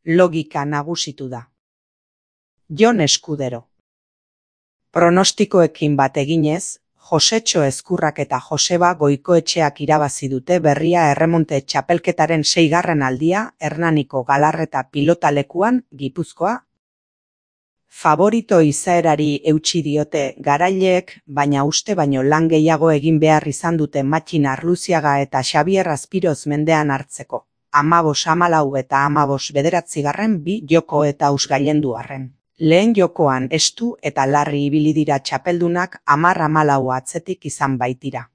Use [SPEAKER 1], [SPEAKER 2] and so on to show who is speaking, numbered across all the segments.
[SPEAKER 1] Logika nagusitu da. Jon Eskudero. Pronostikoekin bat eginez, Josetxo Ezkurrak eta Joseba Goikoetxeak irabazi dute berria erremonte txapelketaren 6. aldia Hernaniko Galarreta pilotalekuan, Gipuzkoa. Faborito izaerari eutsi diote garaileek, baina uste baino lan gehiago egin behar izan dute Matxin Arluziaga eta Xabier Azpiroz mendean hartzeko. 15-14 eta 15-9 bi joko eta ausgailendu arren. Lehen jokoan estu eta larri ibili dira txapeldunak 10-14 atzetik izan baitira.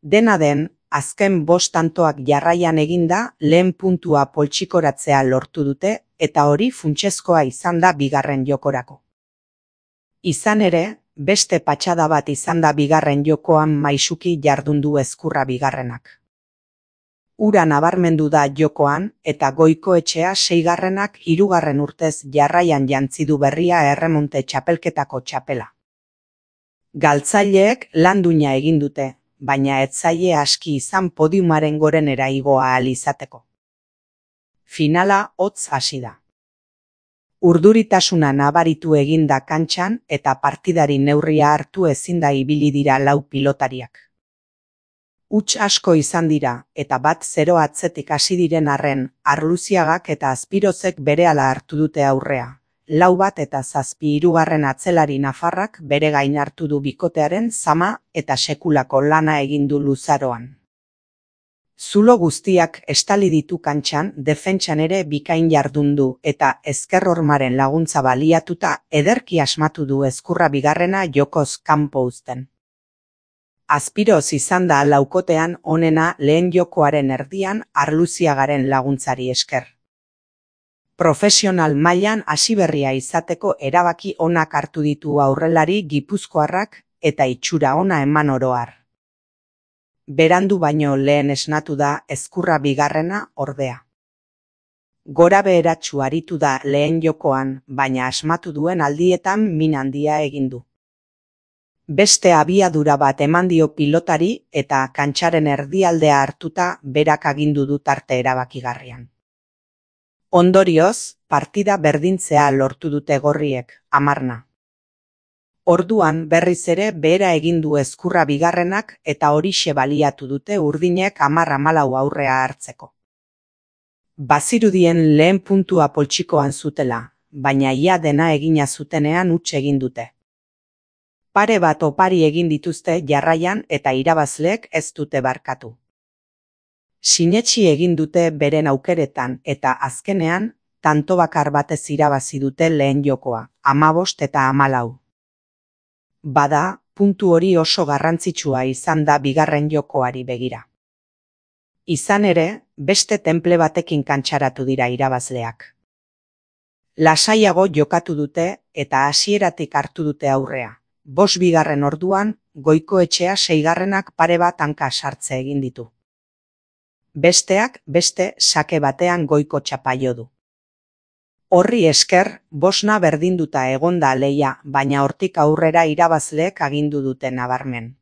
[SPEAKER 1] Dena den, azken 5 tantoak jarraian eginda lehen puntua poltsikoratzea lortu dute eta hori funtsezkoa izan da bigarren jokorako. Izan ere, beste patxada bat izan da bigarren jokoan maisuki jardundu Ezkurra bigarrenak. Ura nabarmendu da jokoan eta Goikoetxea 6. 3. urtez jarraian jantzi du berria erremonte txapelketako txapela. Galtzaileek lan duina egin dute, baina ez zaie aski izan podiumaren gorenera igo ahal izateko. Finala hotz hasi da. Urduritasuna nabaritu egin da kantxan eta partidari neurria hartu ezin da ibili dira 4 pilotariak. Huts asko izan dira eta 1-0 atzetik hasi diren arren, Arluziagak eta Azpirozek berehala hartu dute aurrea. 4-1 eta 7-3 atzelari nafarrak bere gain hartu du bikotearen zama eta sekulako lana egin du luzaroan. Zulo guztiak estali ditu kantxan, defentsan ere bikain jardun du eta ezkerrormaren laguntza baliatuta ederki asmatu du Ezkurra bigarrena jokoz kanpo uzten. Azpiroz izan da laukotean onena lehen jokoaren erdian Arluziagaren laguntzari esker. Profesional mailan hasiberria izateko erabaki onak hartu ditu aurrelari gipuzkoarrak eta itxura ona eman oro har. Berandu baino lehen esnatu da Ezkurra bigarrena ordea. Gora beheratsu aritu da lehen jokoan, baina asmatu duen aldietan min handia egin du. Beste abiadura bat eman dio pilotari eta kantxaren erdialdea hartuta berak agindu du tarte erabakigarrian. Ondorioz, partida berdintzea lortu dute gorriek, 10. Orduan berriz ere behera egin du Ezkurra bigarrenak eta horixe baliatu dute urdinek 10-14 aurrea hartzeko. Bazirudien lehen puntua poltsikoan zutela, baina ia dena egina zutenean huts egin dute. Pare bat opari egin dituzte jarraian eta irabazleek ez dute barkatu. Sinetsi egin dute beren aukeretan eta azkenean, tanto bakar batez irabazi dute lehen jokoa, 15 eta 14. Bada, puntu hori oso garrantzitsua izan da bigarren jokoari begira. Izan ere, beste tenple batekin kantxaratu dira irabazleak. Lasaiago jokatu dute eta hasieratik hartu dute aurrea. 5 bigarren orduan, Goikoetxea 6. pare bat hanka sartze egin ditu. Besteak beste sake batean Goiko txapaio du. Horri esker, 5 berdinduta egonda leia, baina hortik aurrera irabazleek agindu dute nabarmen.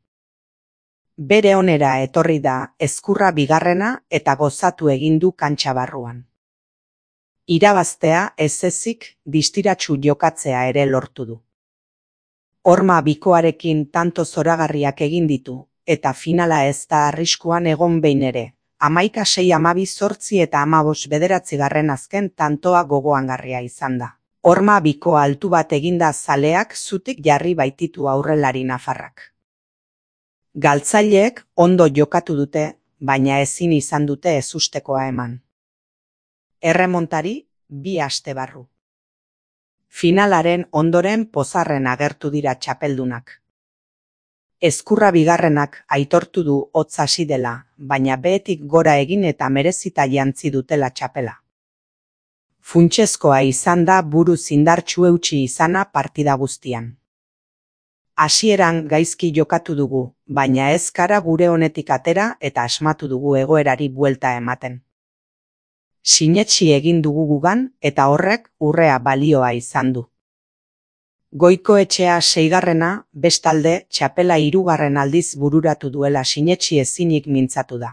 [SPEAKER 1] Bere onera etorri da Ezkurra bigarrena eta gozatu egin du kantxa barruan. Irabaztea ez ezik distiratsu jokatzea ere lortu du. Horma bikoarekin tanto zoragarriak egin ditu, eta finala ez da arriskuan egon behin ere. 11-6-12-8 eta 15-9 azken tantoa gogoangarria izan da. Horma biko altu bat eginda zaleak zutik jarri baititu aurrelari nafarrak. Galtzaileek ondo jokatu dute, baina ezin izan dute ezustekoa eman. Erremontari 2 aste barru. Finalaren ondoren pozarren agertu dira txapeldunak. Ezkurra bigarrenak aitortu du hotz hasi dela, baina behetik gora egin eta merezita jantzi dutela txapela. Funtsezkoa izan da buruz indartsu eutsi izana partida guztian. Hasieran gaizki jokatu dugu, baina ez gara gure honetik atera eta asmatu dugu egoerari buelta ematen. Sinetsi egin dugu gugan eta horrek urrea balioa izan du. Goikoetxea 6. bestalde txapela 3. aldiz bururatu duela sinetsi ezinik mintzatu da.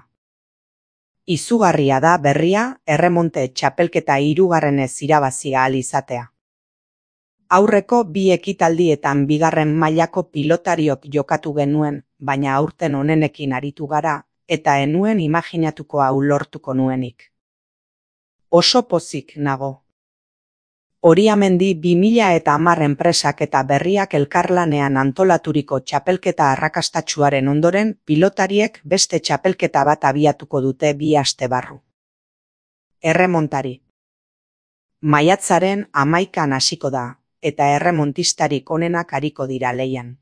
[SPEAKER 1] Izugarria da berria erremonte txapelketa 3. irabazi ahal izatea. Aurreko 2 ekitaldietan 2. mailako pilotariok jokatu genuen, baina aurten onenekin aritu gara, eta enuen imaginatuko hau lortuko nuenik. Oso pozik nago. Oriamendi 2010 enpresak eta berriak elkarlanean antolaturiko txapelketa arrakastatsuaren ondoren pilotariek beste txapelketa bat abiatuko dute 2 aste barru. Erremontari. Maiatzaren 11an hasiko da, eta erremontistarik onenak ariko dira lehian.